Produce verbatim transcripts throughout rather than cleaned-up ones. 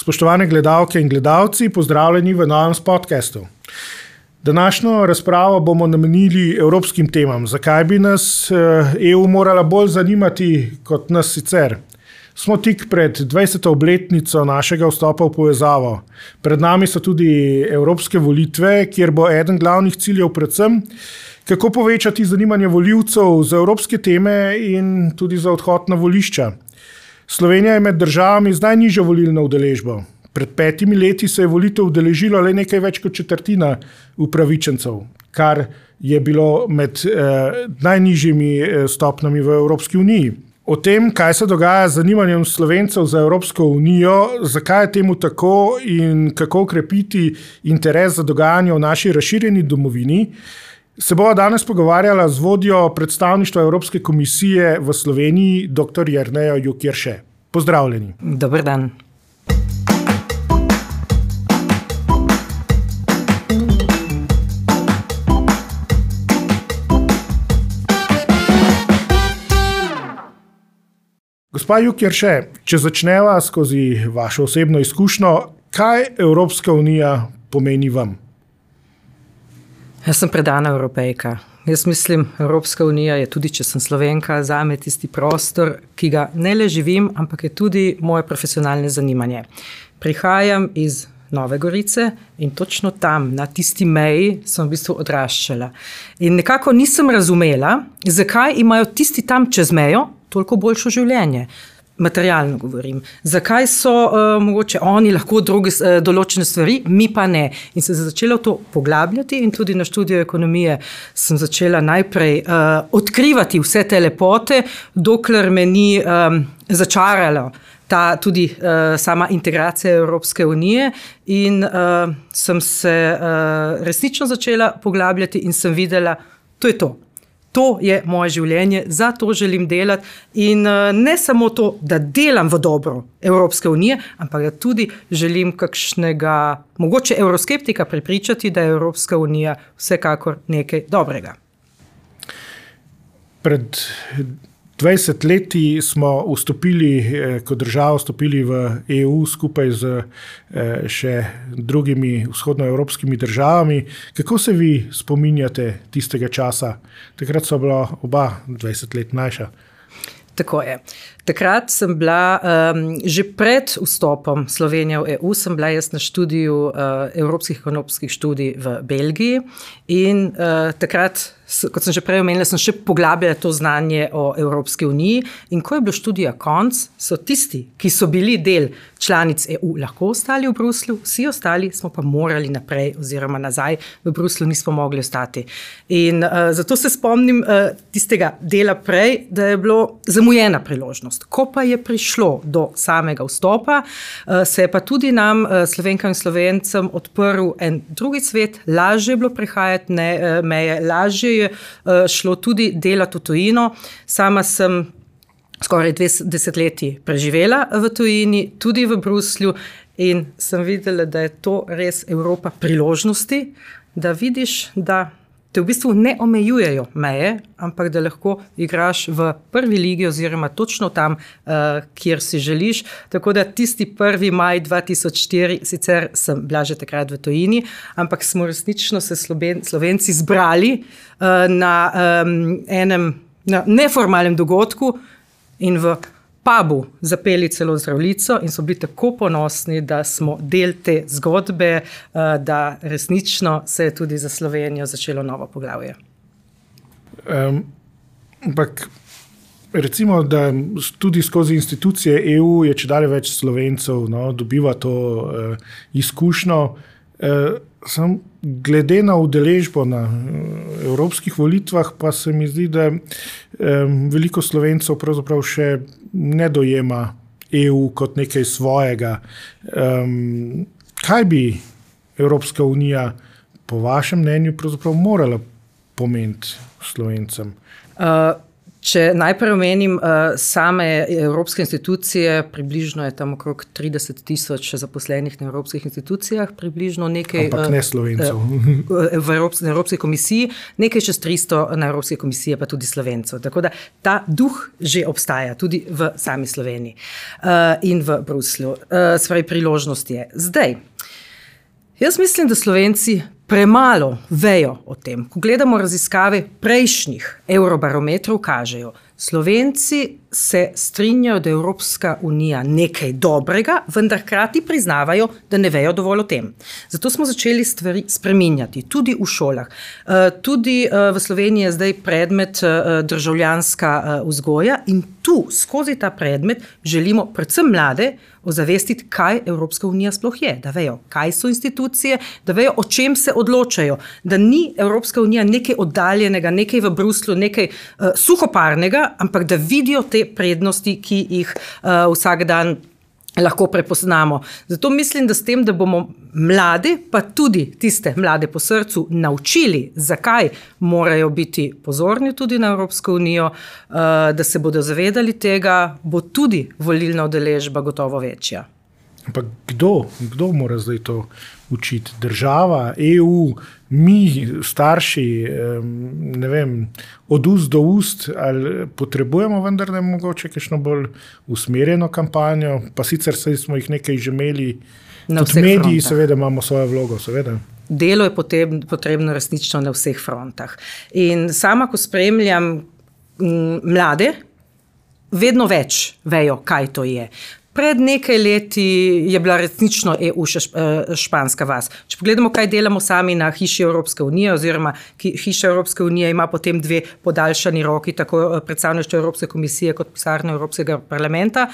Spoštovane gledalke in gledalci, pozdravljeni v novem podcastu. Današnjo razpravo bomo namenili evropskim temam. Zakaj bi nas E U morala bolj zanimati kot nas sicer? Smo tik pred dvajseto obletnico našega vstopa v povezavo. Pred nami so tudi evropske volitve, kjer bo eden glavnih ciljev predvsem, kako povečati zanimanje volivcev za evropske teme in tudi za odhod na volišča. Slovenija je med državami z najnižjo volilno udeležbo. Pred petimi leti se je volitev udeležilo le nekaj več kot četrtina upravičencev, kar je bilo med eh, najnižjimi stopnjami v Evropski uniji. O tem, kaj se dogaja z zanimanjem Slovencev za Evropsko unijo, zakaj je temu tako in kako okrepiti interes za dogajanje v naši razširjeni domovini, se bova danes pogovarjala z vodjo predstavništva Evropske komisije v Sloveniji, dr. Jernejo Jukjerše. Pozdravljeni. Dober dan. Gospa Jukjerše, če začneva skozi vašo osebno izkušnjo, kaj Evropska unija pomeni vam? Jaz sem predana Evropejka. Jaz mislim, Evropska unija je tudi, če sem Slovenka, zame tisti prostor, ki ga ne le živim, ampak je tudi moje profesionalne zanimanje. Prihajam iz Nove Gorice in točno tam, na tisti meji, sem v bistvu odraščala. In nekako nisem razumela, zakaj imajo tisti tam čez mejo toliko boljšo življenje. Materialno govorim. Zakaj so uh, mogoče oni lahko druge uh, določene stvari, mi pa ne. In sem začela to poglabljati in tudi na študiju ekonomije sem začela najprej uh, odkrivati vse te lepote, dokler me ni um, začaralo ta tudi uh, sama integracija Evropske unije in uh, sem se uh, resnično začela poglabljati in sem videla, to je to. To je moje življenje, za to želim delati in ne samo to, da delam v dobro Evropske unije, ampak da tudi želim kakšnega, mogoče evroskeptika prepričati, da je Evropska unija vsekakor nekaj dobrega. Pred dvajset leti smo vstopili, kot država vstopili v E U skupaj z še drugimi vzhodnoevropskimi državami. Kako se vi spominjate tistega časa? Takrat so bila oba dvajset let mlajša. Tako je. Takrat sem bila, um, že pred vstopom Slovenije v E U, sem bila jaz na študiju uh, evropskih ekonomskih študij v Belgiji in uh, takrat, kot sem že prej omenila, sem še poglabljala to znanje o Evropski uniji in ko je bilo študija konc, so tisti, ki so bili del članic E U, lahko ostali v Bruslju, vsi ostali smo pa morali naprej oziroma nazaj v Bruslju, nismo mogli ostati. In uh, zato se spomnim uh, tistega dela prej, da je bilo zamujena priložnost. Ko pa je prišlo do samega vstopa, se je pa tudi nam, Slovenkam in Slovencem, odprl en drugi svet, lažje je bilo prehajati ne, meje, lažje je šlo tudi delati v tujino. Sama sem skoraj dve desetletji preživela v tujini, tudi v Bruslju in sem videla, da je to res Evropa priložnosti, da vidiš, da te v bistvu ne omejujejo meje, ampak da lahko igraš v prvi ligi oziroma točno tam, uh, kjer si želiš. Tako da tisti prvi maj dva tisoč štiri, sicer sem bila že takrat v tujini, ampak smo resnično se Sloven, Slovenci zbrali uh, na um, enem na neformalnem dogodku in v pubu zapeli celo zdravljico in so bili tako ponosni, da smo del te zgodbe, da resnično se je tudi za Slovenijo začelo novo poglavje. Um, ampak recimo, da tudi skozi institucije E U je čedalje več Slovencev, no, dobiva to uh, izkušnjo. Uh, sam glede na udeležbo na uh, evropskih volitvah pa se mi zdi, da um, veliko Slovencev pravzaprav še ne dojema E U kot nekaj svojega. Um, kaj bi Evropska unija po vašem mnenju pravzaprav morala pomeniti Slovencem? Uh, Če najprej omenim uh, same evropske institucije, približno je tam okrog trideset tisoč zaposlenih na evropskih institucijah, približno nekaj... Ampak ne Slovencev. Uh, v Evropski, na Evropski komisiji, nekaj čez tristo na Evropski komisiji, pa tudi Slovencev. Tako da ta duh že obstaja, tudi v sami Sloveniji uh, in v Bruslju. Uh, Spravi, priložnost je. Zdaj, jaz mislim, da Slovenci premalo vejo o tem. Ko gledamo raziskave prejšnjih eurobarometrov, kažejo, Slovenci se strinjajo, da je Evropska unija nekaj dobrega, vendar hkrati priznavajo, da ne vejo dovolj o tem. Zato smo začeli stvari spreminjati, tudi v šolah. Tudi v Sloveniji je zdaj predmet državljanska vzgoja in tu, skozi ta predmet, želimo predvsem mlade ozavestiti, kaj Evropska unija sploh je, da vejo, kaj so institucije, da vejo, o čem se odločajo, da ni Evropska unija nekaj oddaljenega, nekaj v Bruslju, nekaj uh, suhoparnega, ampak da vidijo te prednosti, ki jih uh, vsak dan lahko prepoznamo. Zato mislim, da s tem, da bomo mlade, pa tudi tiste mlade po srcu, naučili, zakaj morajo biti pozorni tudi na Evropsko unijo, da se bodo zavedali tega, bo tudi volilna udeležba gotovo večja. Ampak kdo, kdo mora zdaj to učiti? Država, E U, mi, starši, ne vem, od ust do ust, ali potrebujemo vendar ne mogoče kakšno bolj usmerjeno kampanjo, pa sicer smo jih nekaj že imeli, tudi mediji seveda imamo svojo vlogo, seveda. Delo je potrebno, potrebno resnično na vseh frontah. In sama, ko spremljam m, mlade, vedno več vejo, kaj to je. Pred nekaj leti je bila resnično E U še španska vas. Če pogledamo, kaj delamo sami na hiši Evropske unije, oziroma hiša Evropske unije ima potem dve podaljšani roki, tako predstavništvo Evropske komisije kot pisarno Evropskega parlamenta.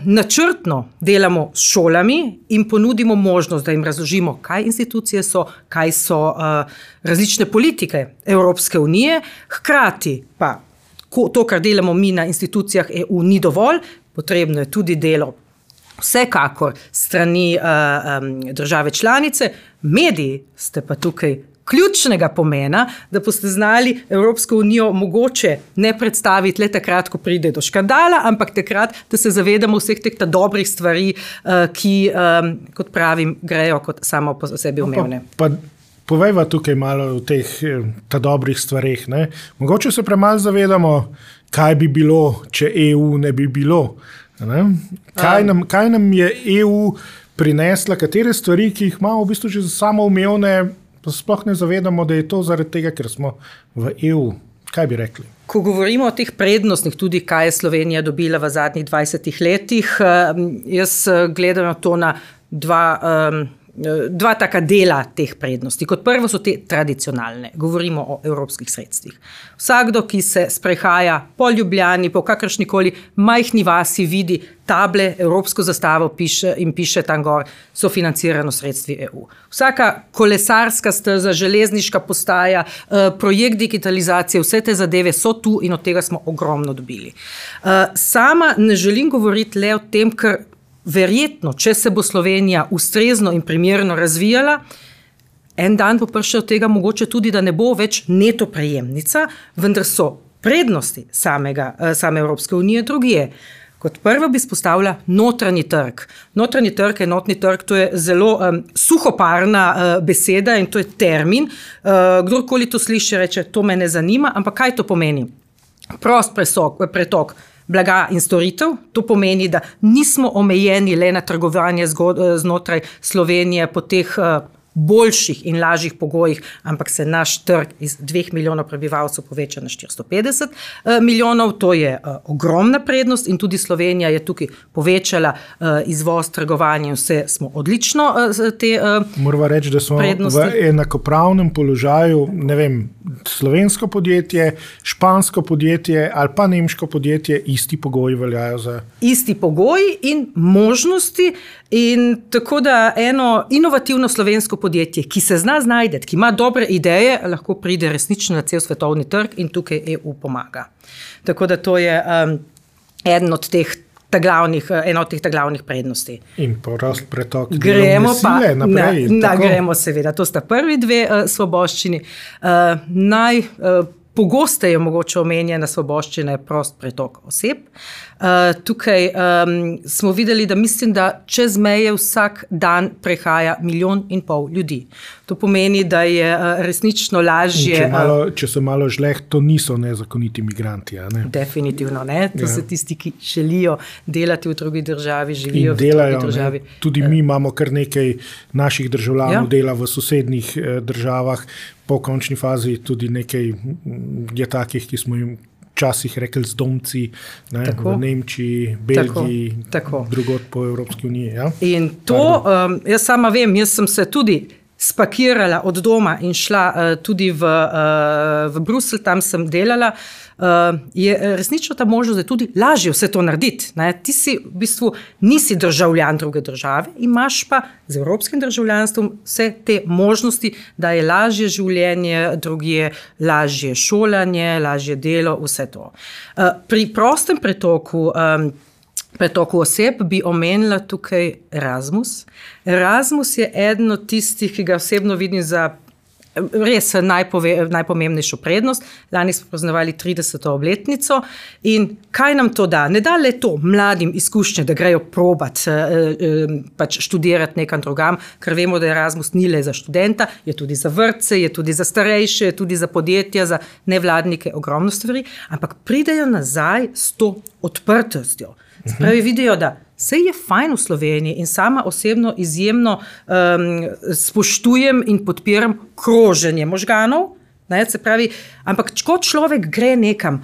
Načrtno delamo s šolami in ponudimo možnost, da jim razložimo, kaj institucije so, kaj so različne politike Evropske unije, hkrati pa to, kar delamo mi na institucijah E U, ni dovolj. Potrebno je tudi delo vsekakor strani uh, um, države članice. Mediji ste pa tukaj ključnega pomena, da boste znali Evropsko unijo mogoče ne predstaviti le takrat, ko pride do škandala, ampak takrat, da se zavedamo vseh teh dobrih stvari, uh, ki, um, kot pravim, grejo kot samo po sebi umevne. Pa, pa povejva tukaj malo o teh ta dobrih stvareh. Ne? Mogoče se premalo zavedamo, kaj bi bilo, če E U ne bi bilo. Ne? Kaj, nam, kaj nam je E U prinesla, katere stvari, ki jih imamo v bistvu že samoumevne, pa sploh ne zavedamo, da je to zaradi tega, ker smo v E U. Kaj bi rekli? Ko govorimo o teh prednostnih, tudi kaj je Slovenija dobila v zadnjih dvajsetih letih, jaz gledam to na dva... Um, Dva taka dela teh prednosti. Kot prvo so te tradicionalne. Govorimo o evropskih sredstvih. Vsakdo, ki se sprehaja po Ljubljani, po kakršnikoli majhni vasi, vidi table, evropsko zastavo piše in piše tam gor, so financirano sredstvi E U. Vsaka kolesarska steza, železniška postaja, projekt digitalizacije, vse te zadeve so tu in od tega smo ogromno dobili. Sama ne želim govoriti le o tem, ker verjetno, če se bo Slovenija ustrezno in primerno razvijala, en dan bo prišel od tega mogoče tudi, da ne bo več neto prejemnica, vendar so prednosti samega, same Evropske unije drugje. Kot prvo bi izpostavila notranji trg. Notranji trg, enotni trg, to je zelo um, suhoparna uh, beseda in to je termin. Uh, kdorkoli to sliši, reče, to me ne zanima, ampak kaj to pomeni? Prost presok, pretok blaga in storitev, to pomeni, da nismo omejeni le na trgovanje znotraj Slovenije po teh boljših in lažjih pogojih, ampak se naš trg iz dveh milijonov prebivalcev poveča na štiristo petdeset milijonov, to je ogromna prednost in tudi Slovenija je tukaj povečala izvoz, trgovanje in vse smo odlično te prednosti. Moramo reči, da smo prednosti. V enakopravnem položaju, ne vem, slovensko podjetje, špansko podjetje ali pa nemško podjetje, isti pogoji veljajo za... Isti pogoji in možnosti in tako da eno inovativno slovensko podjetje, ki se zna znajdeti, ki ima dobre ideje, lahko pride resnično na cel svetovni trg in tukaj E U pomaga. Tako da to je um, eden od teh Glavnih, eno od teh glavnih prednosti. In prost pretok delovne sile naprej. Na, na, gremo seveda, to sta prvi dve uh, svoboščini. Uh, naj uh, pogosteje mogoče omenjena svoboščina je prost pretok oseb. Uh, tukaj um, smo videli, da mislim, da čez meje vsak dan prehaja milijon in pol ljudi. To pomeni, da je uh, resnično lažje... Če, malo, če so malo žleh, to niso nezakoniti migranti. Ne? Definitivno ne. To ja. so tisti, ki želijo delati v drugi državi, živijo in delajo, v drugi državi. Ne? Tudi mi imamo kar nekaj naših državljanov ja. dela v sosednjih eh, državah. Po končni fazi tudi nekaj je takih, ki smo jim včasih rekli zdomci, ne, v Nemčiji, Belgiji, tako, tako. drugod po Evropski uniji. Ja? In to, um, jaz sama vem, jaz sem se tudi spakirala od doma in šla uh, tudi v, uh, v Bruselj, tam sem delala, uh, je resnično ta možnost, da je tudi lažje vse to narediti. Ne? Ti si v bistvu nisi državljan druge države, imaš pa z evropskim državljanstvom vse te možnosti, da je lažje življenje drugje, lažje šolanje, lažje delo, vse to. Uh, pri prostem pretoku um, pretoku oseb bi omenila tukaj Erasmus. Erasmus je eden od tistih, ki ga osebno vidim za res najpove, najpomembnejšo prednost. Lani smo praznovali trideseto obletnico in kaj nam to da? Ne da le to mladim izkušnje, da grejo probat, pač študirati nekam drugam, ker vemo, da Erasmus ni le za študenta, je tudi za vrtce, je tudi za starejše, je tudi za podjetja, za nevladnike, ogromno stvari, ampak pridejo nazaj s to odprtostjo. Spravi vidijo, da vse je fajn v Sloveniji in sama osebno izjemno um, spoštujem in podpiram kroženje možganov, ne, se pravi, ampak ko človek gre nekam,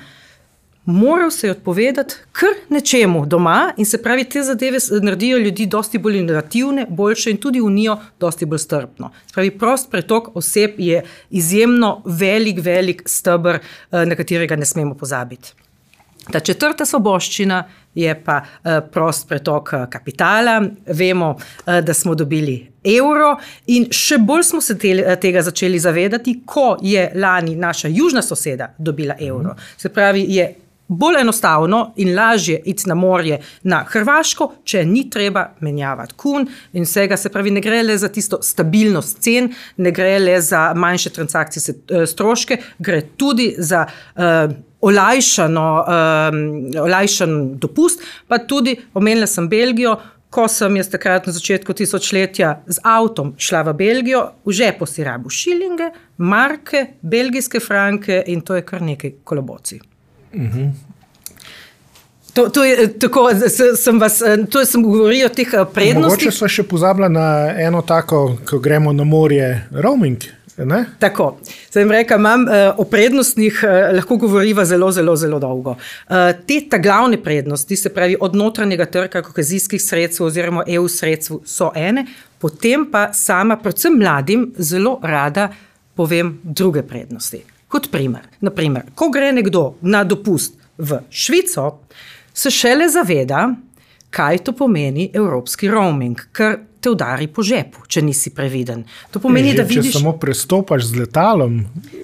moral se je odpovedati kar nečemu doma in se pravi, te zadeve naredijo ljudi dosti bolj inovativne, boljše in tudi unijo dosti bolj strpno. Se pravi, prost pretok oseb je izjemno velik, velik steber, na katerega ne smemo pozabiti. Ta četrta svoboščina je pa uh, prost pretok uh, kapitala. Vemo, uh, da smo dobili evro in še bolj smo se te, tega začeli zavedati, ko je lani naša južna soseda dobila evro. Se pravi, je bolj enostavno in lažje iti na morje na Hrvaško, če ni treba menjavati kun in vsega, se pravi, ne gre le za tisto stabilnost cen, ne gre le za manjše transakcijske stroške, gre tudi za uh, olajšano, um, olajšan dopust, pa tudi omenila sem Belgijo, ko sem jaz takrat na začetku tisočletja z avtom šla v Belgijo, v žepu si rabu šilinge, marke, belgijske franke in to je kar nekaj kolobocij. Mhm. To, to je tako, sem vas, to sem govorila o teh prednostih. Mogoče sva še pozabila na eno tako, ko gremo na morje, roaming. Ne? Tako, sem rekla, imam uh, o prednostnih uh, lahko govoriva zelo, zelo, zelo dolgo. Uh, te ta glavne prednosti, se pravi od notranjega trga, kohezijskih sredstev oziroma E U sredstev so ene, potem pa sama, predvsem mladim, zelo rada povem druge prednosti. Kot primer, naprimer, ko gre nekdo na dopust v Švico, se šele zaveda, kaj to pomeni evropski roaming, ker te udari po žepu, če nisi previden. To pomeni, že, da vidiš... Če samo prestopaš z letalom...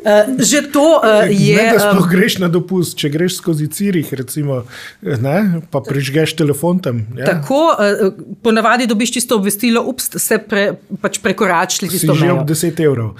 Uh, že to uh, je... Ne, da sploh greš na dopust, če greš skozi Cirih, recimo, ne, pa prižgeš telefon tam. Ja. Tako, uh, ponavadi dobiš čisto obvestilo, ups, se pre, pač prekoračili tisto mejo. Si že ob deset evrov.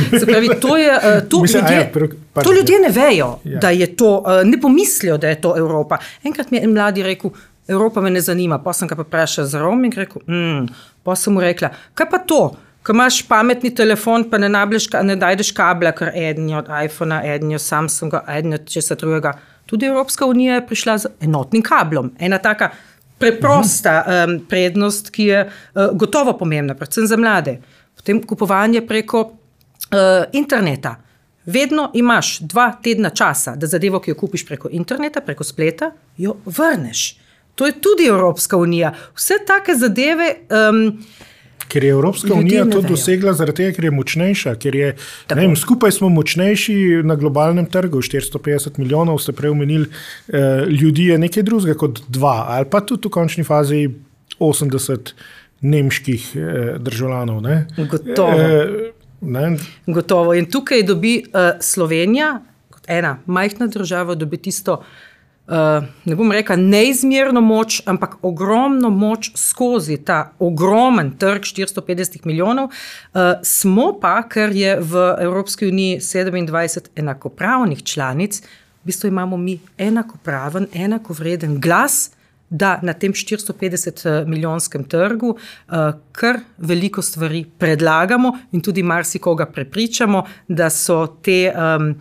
Se pravi, to je... Uh, to, Mislim, ljudje, ja, pre, pač, to ljudje ne vejo, ja. da je to... Uh, ne pomislijo, da je to Evropa. Enkrat mi je en mladi rekel, Evropa me ne zanima, pa sem ga pa vprašal za roaming, rekel, mm, pa sem mu rekla, kaj pa to, ko imaš pametni telefon, pa ne, nableš, ne dajdeš kabla, ker eden je od iPhona, eden je od Samsunga, eden je od česa drugega. Tudi Evropska unija je prišla z enotnim kablom. Ena taka preprosta um, prednost, ki je uh, gotovo pomembna, predvsem za mlade. Potem kupovanje preko uh, interneta. Vedno imaš dva tedna časa, da zadevo, ki jo kupiš preko interneta, preko spleta, jo vrneš. To je tudi Evropska unija. Vse take zadeve... Um, ker je Evropska unija to dosegla zaradi tega, ker je močnejša, ker je, ne vem, skupaj smo močnejši na globalnem trgu, štiristo petdeset milijonov, ste prej omenili, eh, ljudi je nekaj drugega kot dva, ali pa tudi v končni fazi osemdeset nemških eh, državljanov. Ne? Gotovo. Eh, ne? Gotovo. In tukaj dobi uh, Slovenija, kot ena majhna država, dobi tisto ne bom rekla neizmerno moč, ampak ogromno moč skozi ta ogromen trg štiristo petdeset milijonov, smo pa, ker je v Evropski uniji sedemindvajset enakopravnih članic, v bistvu imamo mi enakopraven, enakovreden glas, da na tem štiristo petdeset milijonskem trgu kar veliko stvari predlagamo in tudi marsikoga prepričamo, da so te um,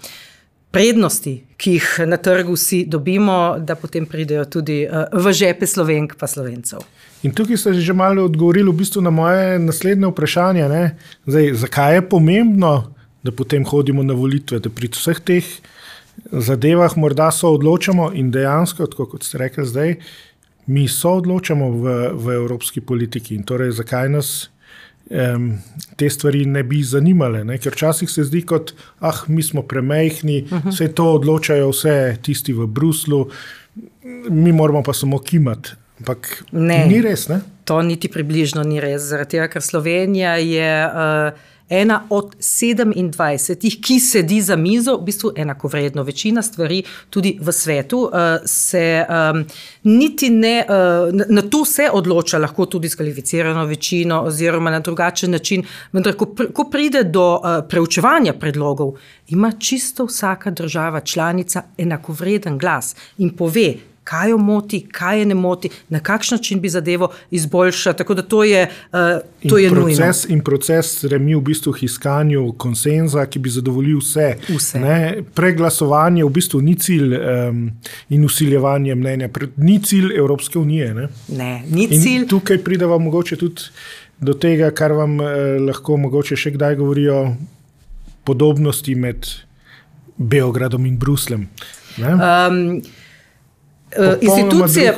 prednosti, ki jih na trgu vsi dobimo, da potem pridejo tudi v žepe Slovenk pa Slovencev. In tukaj ste že malo odgovorili v bistvu na moje naslednje vprašanje. Ne? Zdaj, zakaj je pomembno, da potem hodimo na volitve, da pri vseh teh zadevah morda so odločamo in dejansko, tako kot ste rekli zdaj, mi so odločamo v, v evropski politiki in torej zakaj nas um, te stvari ne bi zanimale, ne? Ker včasih se zdi kot, ah, mi smo premejhni, uh-huh. Vse to odločajo vse tisti v Bruslu, mi moramo pa samo kimati. Ampak ne, ni res, ne? To niti približno ni res, zaradi tega, ker Slovenija je uh, ena od sedemindvajsetih, ki sedi za mizo, v bistvu enakovredno. Večina stvari tudi v svetu uh, se um, niti ne, uh, na to se odloča, lahko tudi s kvalificirano večino oziroma na drugačen način, vendar ko, pr- ko pride do uh, preučevanja predlogov, ima čisto vsaka država članica enakovreden glas in pove, kaj jo moti, kaj je ne moti, na kakšen način bi zadevo izboljšati, tako da to je, uh, to je proces, nujno. In proces remi v bistvu k iskanju konsenza, ki bi zadovoljil vse. vse. Ne? Preglasovanje v bistvu ni cilj um, in usiljevanje mnenja, ni cilj Evropske unije. Ne, ne ni cilj. In tukaj prideva mogoče tudi do tega, kar vam eh, lahko mogoče še kdaj govorijo podobnosti med Beogradom in Bruslem. Ne? Um, Institucije,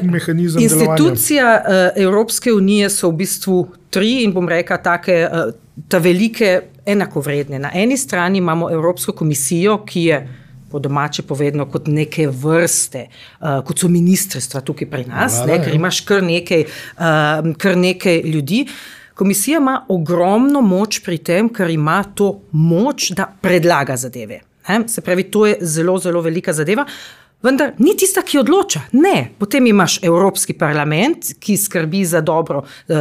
institucija uh, Evropske unije so v bistvu tri in bom rekla take, uh, ta velike enakovredne. Na eni strani imamo Evropsko komisijo, ki je po domače povedano kot neke vrste, uh, kot so ministrstva tukaj pri nas, Vlada, ne, ker imaš kar nekaj, uh, kar nekaj ljudi. Komisija ima ogromno moč pri tem, ker ima to moč, da predlaga zadeve. Ne? Se pravi, to je zelo, zelo velika zadeva. Vendar ni tista, ki odloča. Ne. Potem imaš Evropski parlament, ki skrbi za dobro uh,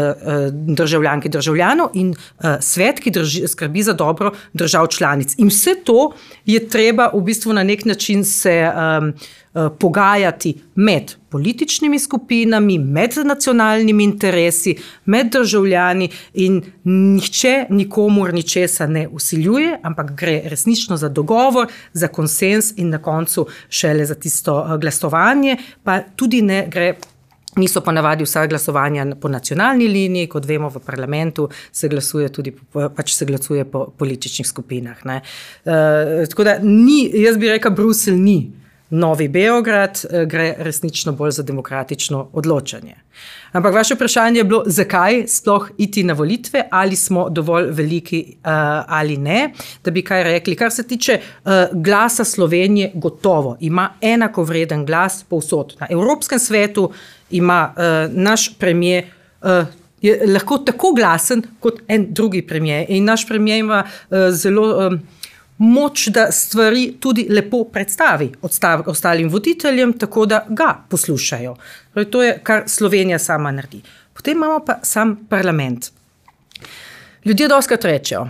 državljank in državljanov in uh, svet, ki drži, skrbi za dobro držav članic. In vse to je treba v bistvu na nek način se um, uh, pogajati med političnimi skupinami, med nacionalnimi interesi, med državljani in nihče nikomur ničesa ne usiljuje, ampak gre resnično za dogovor, za konsens in na koncu šele za tisto glasovanje, pa tudi ne gre. Niso pa navadi vsa glasovanja po nacionalni liniji, kot vemo v parlamentu se glasuje tudi pač se glasuje po političnih skupinah. Ne. Uh, tako da ni, jaz bi rekel, Bruselj ni novi Beograd, gre resnično bolj za demokratično odločanje. Ampak vaše vprašanje je bilo, zakaj sploh iti na volitve, ali smo dovolj veliki uh, ali ne, da bi kaj rekli. Kar se tiče uh, glasa Slovenije, gotovo ima enakovreden glas povsod. Na Evropskem svetu ima uh, naš premier, uh, je lahko tako glasen kot en drugi premier. In naš premier ima uh, zelo um, moč, da stvari tudi lepo predstavi ostalim voditeljem, tako da ga poslušajo. To je, kar Slovenija sama naredi. Potem imamo pa sam parlament. Ljudje dostikrat rečejo,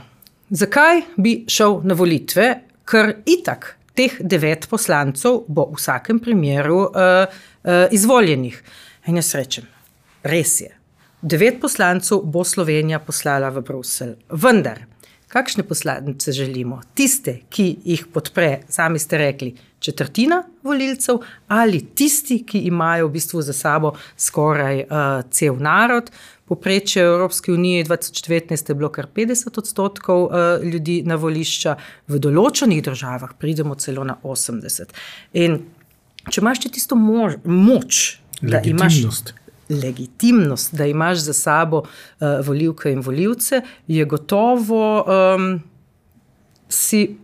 zakaj bi šel na volitve, ker itak teh devet poslancev bo v vsakem primeru uh, uh, izvoljenih. In jaz rečem, res je, devet poslancev bo Slovenija poslala v Bruselj. Vendar, kakšne poslance želimo? Tiste, ki jih podpre, sami ste rekli, četrtina volilcev ali tisti, ki imajo v bistvu za sabo skoraj uh, cel narod. Povprečje v Evropski uniji dva tisoč devetnajst je bilo kar petdeset odstotkov uh, ljudi na volišča, v določenih državah pridemo celo na osemdeset. In če imaš tisto mož, moč, da imaš legitimnost, da imaš za sabo uh, volivke in volivce, je gotovo um, si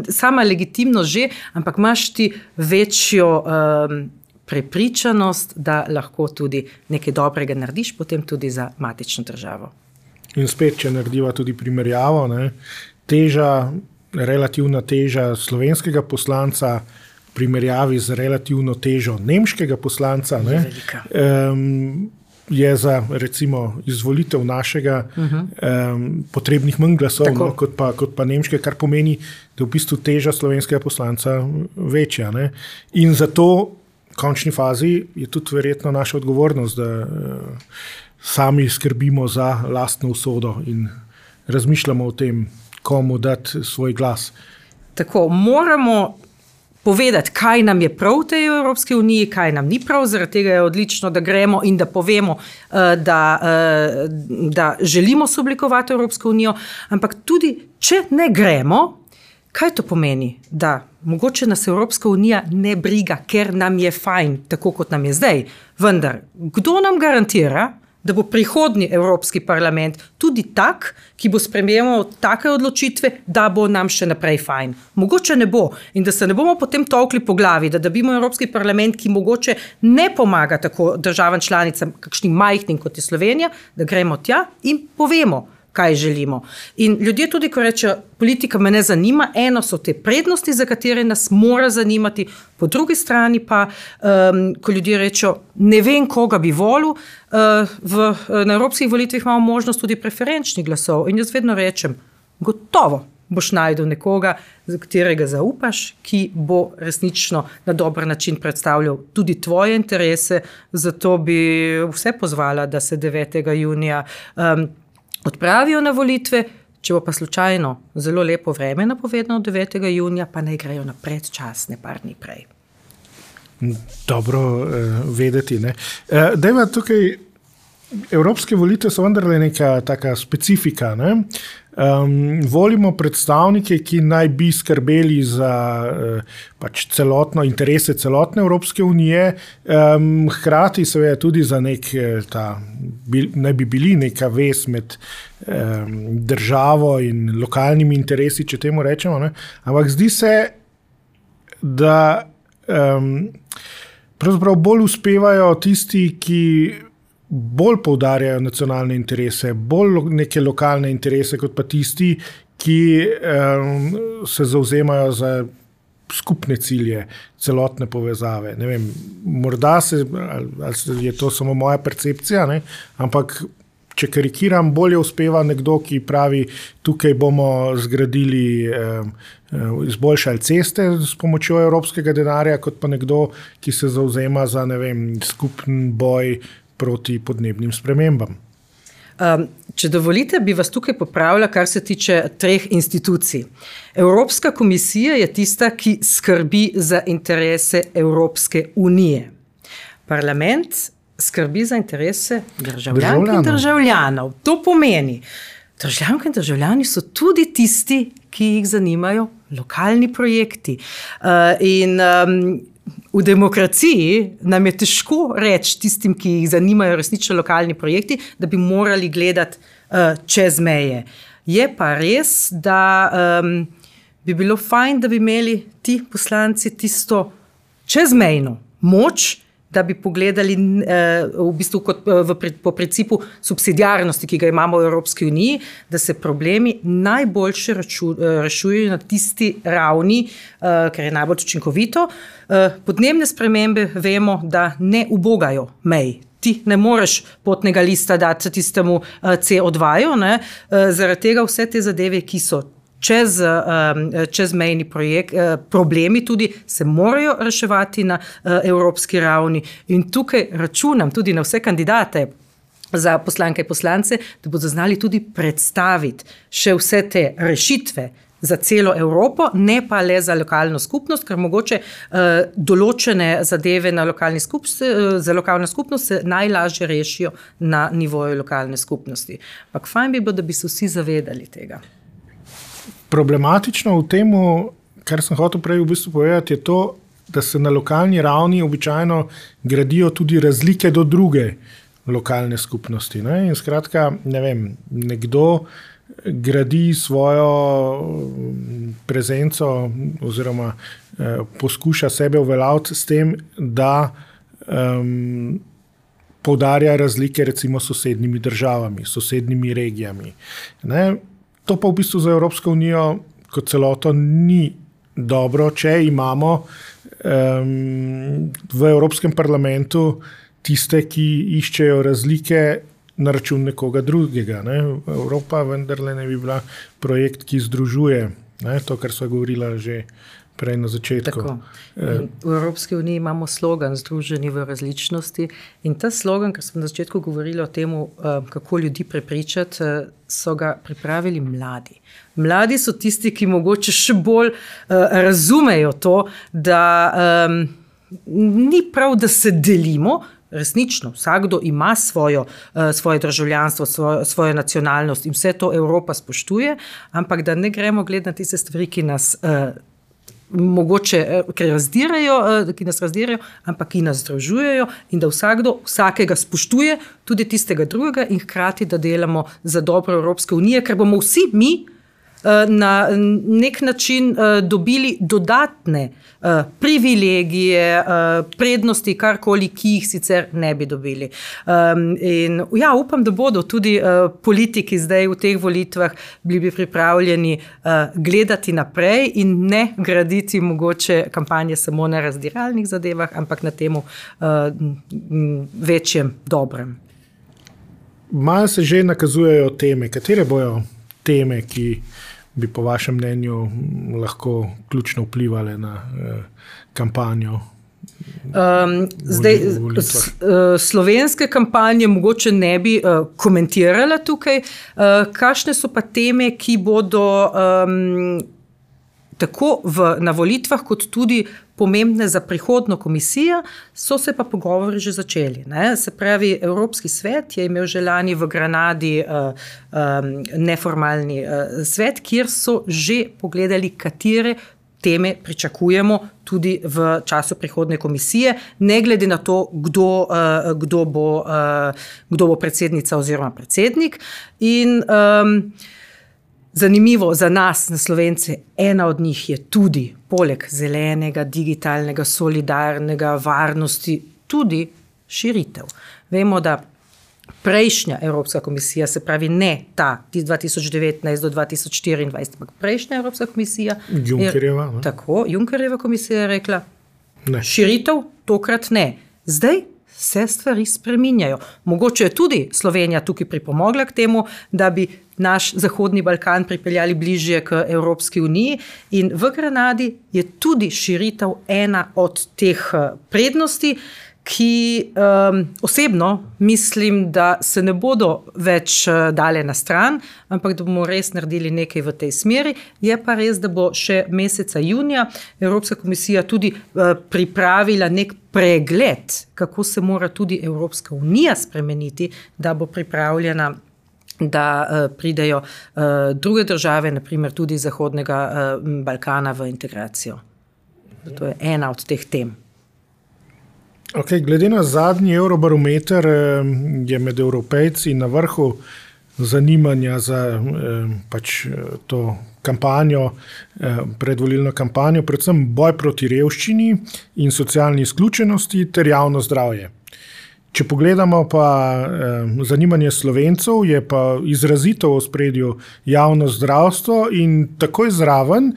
sama legitimnost že, ampak imaš ti večjo um, prepričanost, da lahko tudi nekaj dobrega narediš, potem tudi za matično državo. In spet, če narediva tudi primerjavo, ne, teža, relativna teža slovenskega poslanca primerjavi z relativno težo nemškega poslanca, ne, um, je za recimo izvolitev našega uh-huh. um, potrebnih manj glasov, no, kot, pa, kot pa nemške, kar pomeni, da je v bistvu teža slovenskega poslanca večja. Ne. In zato v končni fazi je tudi verjetno naša odgovornost, da uh, sami skrbimo za lastno usodo in razmišljamo o tem, komu dati svoj glas. Tako, moramo povedati, kaj nam je prav v tej Evropski uniji, kaj nam ni prav, zaradi tega je odlično, da gremo in da povemo, da, da želimo soblikovati Evropsko unijo, ampak tudi, če ne gremo, kaj to pomeni? Da mogoče nas Evropska unija ne briga, ker nam je fajn, tako kot nam je zdaj. Vendar, kdo nam garantira, da bo prihodnji Evropski parlament tudi tak, ki bo sprejemal take odločitve, da bo nam še naprej fajn. Mogoče ne bo in da se ne bomo potem tolkli po glavi, da dobimo Evropski parlament, ki mogoče ne pomaga tako državam članicam, kakšnim majhnim kot je Slovenija, da gremo tja in povemo, kaj želimo. In ljudje tudi, ko rečejo, politika me ne zanima, eno so te prednosti, za katere nas mora zanimati, po drugi strani pa, um, ko ljudje rečejo, ne vem, koga bi volil, uh, v, na evropskih volitvah imamo možnost tudi preferenčnih glasov in jaz vedno rečem, gotovo boš najdel nekoga, za katerega zaupaš, ki bo resnično na dober način predstavljal tudi tvoje interese, zato bi vse pozvala, da se devetega junija um, odpravijo na volitve, če bo pa slučajno zelo lepo vreme napovedano devetega junija, pa naj grejo na predčasne par dni prej. Dobro eh, vedeti. Ne? Eh, dejva tukaj, evropske volitve so vendarle neka taka specifika. Ne? Um, volimo predstavnike, ki naj bi skrbeli za uh, pač celotno interese celotne Evropske unije, um, hkrati seveda tudi za nek, ta, bil, naj bi bili neka vez med um, državo in lokalnimi interesi, če temu rečemo. Ne? Ampak zdi se, da um, pravzaprav bolj uspevajo tisti, ki bolj poudarjajo nacionalne interese, bolj neke lokalne interese, kot pa tisti, ki um, se zavzemajo za skupne cilje, celotne povezave. Ne vem, morda se, ali je to samo moja percepcija, ne? Ampak če karikiram, bolje uspeva nekdo, ki pravi, tukaj bomo zgradili, um, izboljšali ceste s pomočjo evropskega denarja, kot pa nekdo, ki se zavzema za, ne vem, skupen boj proti podnebnim spremembam. Um, če dovolite, bi vas tukaj popravila, kar se tiče treh institucij. Evropska komisija je tista, ki skrbi za interese Evropske unije. Parlament skrbi za interese državljank in državljanov. To pomeni, državljanke in državljani so tudi tisti, ki jih zanimajo lokalni projekti. Uh, in um, v demokraciji nam je težko reči tistim, ki jih zanimajo resnično lokalni projekti, da bi morali gledati uh, čez meje. Je pa res, da um, bi bilo fajn, da bi imeli ti poslanci tisto čezmejno moč, da bi pogledali uh, v bistvu kot, uh, v, po principu subsidiarnosti, ki ga imamo v Evropski uniji, da se problemi najboljše raču, uh, rešujejo na tisti ravni, uh, ker je najbolj učinkovito. Uh, podnebne spremembe vemo, da ne ubogajo mej. Ti ne moreš potnega lista dati tistemu uh, C O dva, ne? Uh, zaradi tega vse te zadeve, ki so Čez, um, čezmejni projekt, uh, problemi tudi se morajo reševati na uh, evropski ravni in tukaj računam tudi na vse kandidate za poslanke in poslance, da bodo znali tudi predstaviti še vse te rešitve za celo Evropo, ne pa le za lokalno skupnost, ker mogoče uh, določene zadeve na lokalni skupnosti, uh, za lokalno skupnost se najlažje rešijo na nivoju lokalne skupnosti. Ampak fajn bi bilo, da bi se vsi zavedali tega. Problematično v temu, kar sem hotel prej v bistvu povedati, je to, da se na lokalni ravni običajno gradijo tudi razlike do druge lokalne skupnosti. Ne? In skratka, ne vem, nekdo gradi svojo prezenco oziroma eh, poskuša sebe uveljaviti s tem, da um, poudarja razlike recimo s sosednjimi državami, sosednjimi regijami. Ne? To pa v bistvu za Evropsko unijo kot celoto ni dobro, če imamo um, v Evropskem parlamentu tiste, ki iščejo razlike na račun nekoga drugega. Ne? Evropa vendarle ne bi bila projekt, ki združuje, ne? To, kar sva govorila že prej na začetku. Tako. V Evropski uniji imamo slogan Združeni v različnosti in ta slogan, ker smo na začetku govorili o tem, kako ljudi prepričati, so ga pripravili mladi. Mladi so tisti, ki mogoče še bolj razumejo to, da um, ni prav, da se delimo. Resnično, vsakdo ima svojo, svoje državljanstvo, svojo, svojo nacionalnost in vse to Evropa spoštuje, ampak da ne gremo gledati na tiste stvari, ki nas mogoče, ki razdirajo, ki nas razdirajo, ampak ki nas združujejo in da vsakdo vsakega spoštuje, tudi tistega drugega in hkrati, da delamo za dobro Evropske unije, ker bomo vsi mi na nek način dobili dodatne privilegije, prednosti, karkoli, ki jih sicer ne bi dobili. In ja, upam, da bodo tudi politiki zdaj v teh volitvah bili pripravljeni gledati naprej in ne graditi mogoče kampanje samo na razdiralnih zadevah, ampak na temu večjem dobrem. Malo se že nakazujejo teme. Katere bojo teme, ki bi po vašem mnenju lahko ključno vplivali na eh, kampanjo? Um, zdaj, s, uh, slovenske kampanje mogoče ne bi uh, komentirala tukaj. Uh, kakšne so pa teme, ki bodo um, tako v, na volitvah, kot tudi pomembne za prihodno komisijo, so se pa pogovori že začeli. Ne? Se pravi, Evropski svet je imel že lani v Granadi uh, um, neformalni uh, svet, kjer so že pogledali, katere teme pričakujemo tudi v času prihodne komisije, ne glede na to, kdo, uh, kdo, bo, uh, kdo bo predsednica oziroma predsednik. In um, zanimivo za nas, na Slovence, ena od njih je tudi, poleg zelenega, digitalnega, solidarnega, varnosti, tudi širitev. Vemo, da prejšnja Evropska komisija, se pravi ne ta, dva tisoč devetnajst do dva tisoč štiriindvajset, ampak prejšnja Evropska komisija, Junckerjeva, je, tako, Junckerjeva komisija je rekla, ne. Širitev tokrat ne. Zdaj se stvari spreminjajo. Mogoče je tudi Slovenija tukaj pripomogla k temu, da bi naš Zahodni Balkan pripeljali bližje k Evropski uniji in v Granadi je tudi širitev ena od teh prednosti, ki um, osebno mislim, da se ne bodo več dale na stran, ampak da bomo res naredili nekaj v tej smeri. Je pa res, da bo še meseca junija Evropska komisija tudi uh, pripravila nek pregled, kako se mora tudi Evropska unija spremeniti, da bo pripravljena, da uh, pridejo uh, druge države, naprimer tudi Zahodnega uh, Balkana v integracijo. To je ena od teh tem. Okay, glede na zadnji Eurobarometer je med Evropejci na vrhu zanimanja za pač to kampanjo, predvolilno kampanjo, predvsem boj proti revščini in socialni izključenosti ter javno zdravje. Če pogledamo pa zanimanje Slovencev, je pa izrazito v ospredju javno zdravstvo in takoj zraven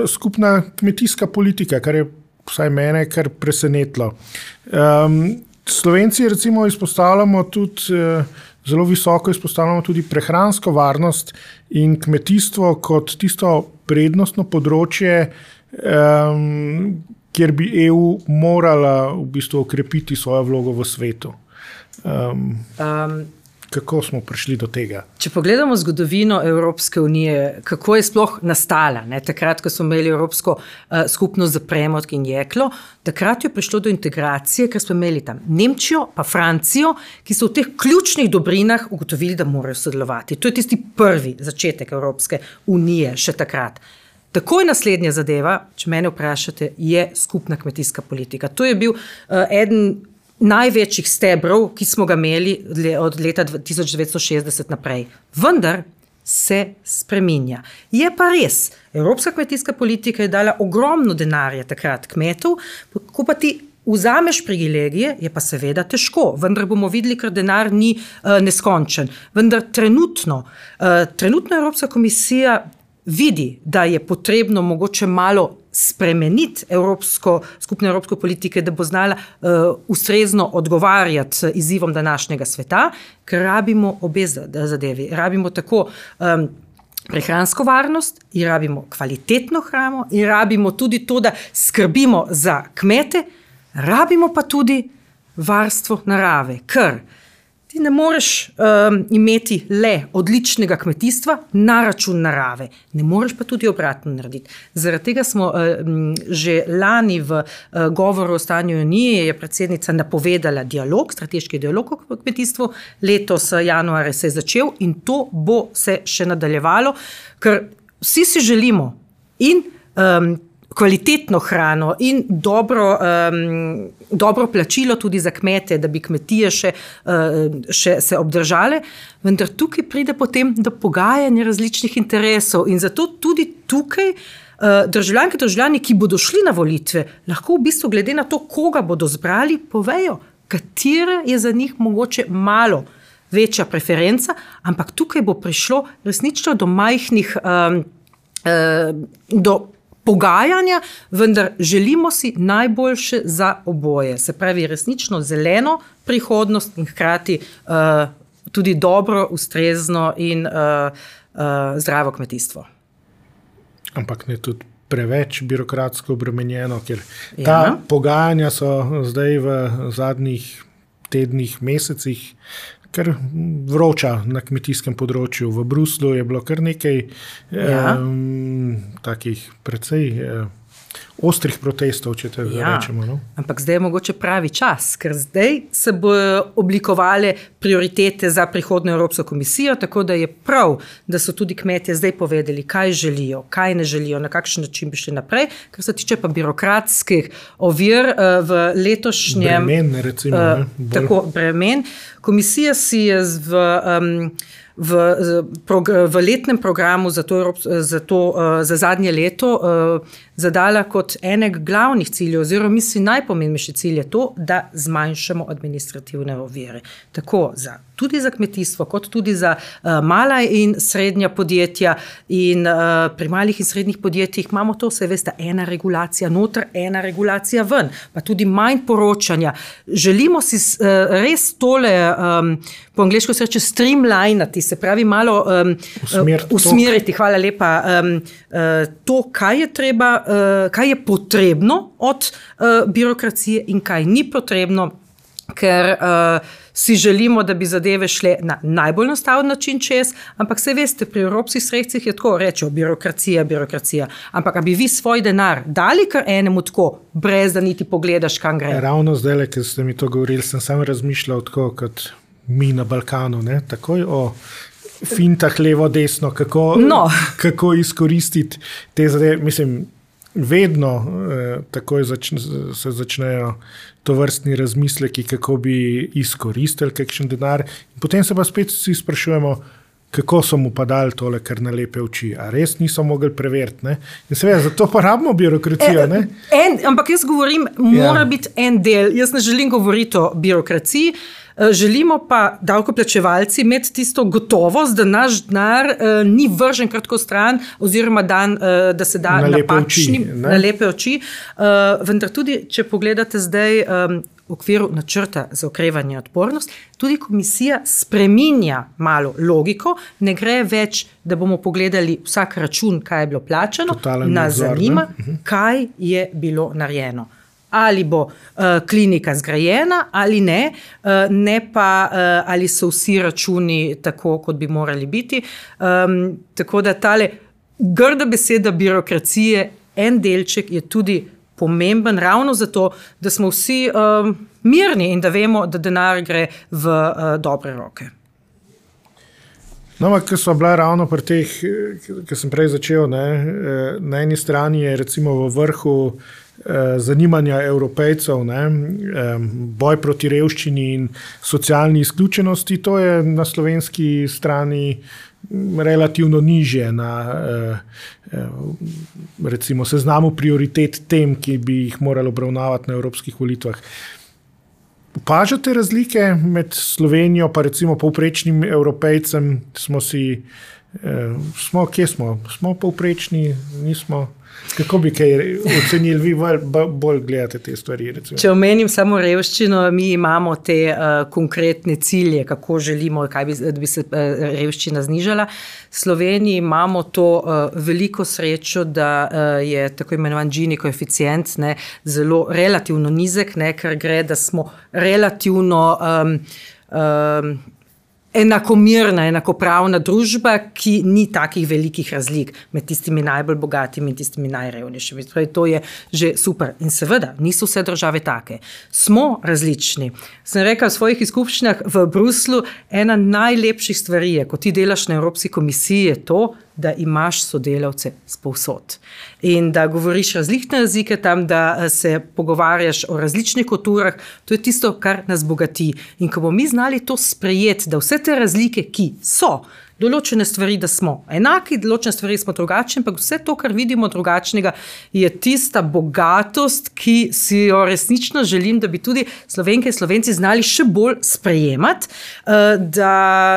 skupna kmetijska politika, kar je vsaj mene kar presenetilo. Um, Slovenci recimo izpostavljamo tudi, uh, zelo visoko izpostavljamo tudi prehransko varnost in kmetijstvo kot tisto prednostno področje, um, kjer bi E U morala v bistvu okrepiti svojo vlogo v svetu. Um, um. Kako smo prišli do tega? Če pogledamo zgodovino Evropske unije, kako je sploh nastala, ne? Takrat, ko smo imeli Evropsko uh, skupnost za premog in jeklo, takrat je prišlo do integracije, ker smo imeli tam Nemčijo pa Francijo, ki so v teh ključnih dobrinah ugotovili, da morajo sodelovati. To je tisti prvi začetek Evropske unije še takrat. Takoj naslednja zadeva, če mene vprašate, je skupna kmetijska politika. To je bil uh, eden največjih stebrov, ki smo ga imeli od leta tisoč devetsto šestdeset naprej. Vendar se spreminja. Je pa res, Evropska kmetijska politika je dala ogromno denarja takrat kmetov, ko pa ti vzameš privilegije, je pa seveda težko, vendar bomo videli, ker denar ni uh, neskončen. Vendar trenutno, uh, trenutno Evropska komisija vidi, da je potrebno mogoče malo spremeniti evropsko, skupne evropske politike, da bo znala uh, ustrezno odgovarjati izzivom današnjega sveta, ker rabimo obe zadevi. Rabimo tako um, prehransko varnost in rabimo kvalitetno hrano in rabimo tudi to, da skrbimo za kmete, rabimo pa tudi varstvo narave, ker ti ne moreš um, imeti le odličnega kmetijstva na račun narave, ne moreš pa tudi obratno narediti. Zaradi tega smo um, že lani v uh, govoru o stanju Unije je predsednica napovedala dialog, strateški dialog o kmetijstvu, letos januarja se je začel in to bo se še nadaljevalo, ker vsi si želimo in um, kvalitetno hrano in dobro, um, dobro plačilo tudi za kmete, da bi kmetije še, uh, še se obdržale, vendar tukaj pride potem do pogajanja različnih interesov in zato tudi tukaj uh, državljanke, državljani, ki bodo šli na volitve, lahko v bistvu glede na to, koga bodo zbrali, povejo, katera je za njih mogoče malo večja preferenca, ampak tukaj bo prišlo resnično do majhnih, um, uh, do pogajanja, vendar želimo si najboljše za oboje. Se pravi, resnično zeleno prihodnost in hkrati uh, tudi dobro, ustrezno in uh, uh, zdravo kmetijstvo. Ampak ne tudi preveč birokratsko obremenjeno, ker ta ja. pogajanja so zdaj v zadnjih tednih, mesecih kar vroča na kmetijskem področju. V Bruslu je bilo kar nekaj ja. um, takih precej um, ostrih protestov, če te ja. rečemo. No? Ampak zdaj je mogoče pravi čas, ker zdaj se bojo oblikovale prioritete za prihodnjo Evropsko komisijo, tako da je prav, da so tudi kmetje zdaj povedali, kaj želijo, kaj ne želijo, na kakšen način bi šli naprej, kar se tiče pa birokratskih ovir v letošnjem... Bremen, recimo. Uh, ne, tako, bremen. Komisija si je v... Um, V, v letnem programu za, to, za, to, za zadnje leto zadala kot enega glavnih ciljev, oziroma misli najpomembnejši cilj je to, da zmanjšamo administrativne ovire. Tako za, tudi za kmetijstvo, kot tudi za uh, mala in srednja podjetja. In uh, pri malih in srednjih podjetjih imamo to, vse veste, ena regulacija noter, ena regulacija ven, pa tudi manj poročanja. Želimo si uh, res tole, um, po angleško se reče, streamlinati, se pravi malo um, usmeriti, usmeriti, hvala lepa, um, uh, to, kaj je treba, uh, kaj je potrebno od uh, birokracije in kaj ni potrebno, ker uh, si želimo, da bi zadeve šle na najbolj enostaven način čez, ampak se veste, pri evropskih sredstvih je tako, rečejo birokracija, birokracija, ampak a bi vi svoj denar dali kar enemu tako, brez da niti pogledaš, kam gre? Ravno zdaj, ker ste mi to govorili, sem samo razmišljal tako, kot mi na Balkanu, ne? Takoj o fintah levo, desno, kako, no. kako izkoristiti te zadeve, mislim, vedno eh, takoj začne, se začnejo tovrstni razmisleki, kako bi izkoristili kakšen denar. In potem se pa spet vsi sprašujemo, kako so mu pa dali tole, kar na lepe oči. A res niso mogli preveriti. Ne? In seveda, zato pa rabimo birokracijo. Ne? En, ampak jaz govorim, mora ja. biti en del. Jaz ne želim govoriti o birokraciji, želimo pa davkoplačevalci imeti tisto gotovost, da naš denar uh, ni vržen kratko stran, oziroma dan, uh, da se da na napačnim, lepe oči. Na lepe oči. Uh, vendar tudi, če pogledate zdaj um, v okviru načrta za okrevanje in odpornost, tudi komisija spreminja malo logiko, ne gre več, da bomo pogledali vsak račun, kaj je bilo plačano, nas zanima, kaj je bilo narejeno. Ali bo uh, klinika zgrajena ali ne, uh, ne pa uh, ali so vsi računi tako, kot bi morali biti. Um, tako da tale grda beseda birokracije, en delček je tudi pomemben ravno zato, da smo vsi um, mirni in da vemo, da denar gre v uh, dobre roke. No, ker smo bila ravno pri teh, ki sem prej začel, ne, na eni strani je recimo v vrhu zanimanja Evropejcev, ne, boj proti revščini in socialni izključenosti, to je na slovenski strani relativno nižje na recimo seznamu prioritet tem, ki bi jih morali obravnavati na evropskih volitvah. Opažate razlike med Slovenijo pa recimo povprečnim Evropejcem? Smo si, eh, smo, kje smo? Smo povprečni, nismo? Kako bi kaj ocenili, vi bolj, bolj gledate te stvari? Recimo? Če omenim samo revščino, mi imamo te uh, konkretne cilje, kako želimo, kaj bi, da bi se uh, revščina znižala. V Sloveniji imamo to uh, veliko srečo, da uh, je tako imenovan Gini koeficient ne, zelo relativno nizek, ne, ker gre, da smo relativno um, um, enakomirna, enakopravna družba, ki ni takih velikih razlik med tistimi najbolj bogatimi in tistimi najrevnejšimi. Torej, to je že super. In seveda, niso vse države take. Smo različni. Sem rekel v svojih izkušnjah v Bruslu, ena najlepših stvari je, ko ti delaš na Evropski komisiji, je to, da imaš sodelavce spovsod. In da govoriš različne jezike tam, da se pogovarjaš o različnih kulturah, to je tisto, kar nas bogati. In ko bomo mi znali to sprejeti, da vse te razlike, ki so, določene stvari, da smo enaki, določene stvari smo drugačni, ampak vse to, kar vidimo drugačnega, je tista bogatost, ki si jo resnično želim, da bi tudi Slovenke in Slovenci znali še bolj sprejemati. Da,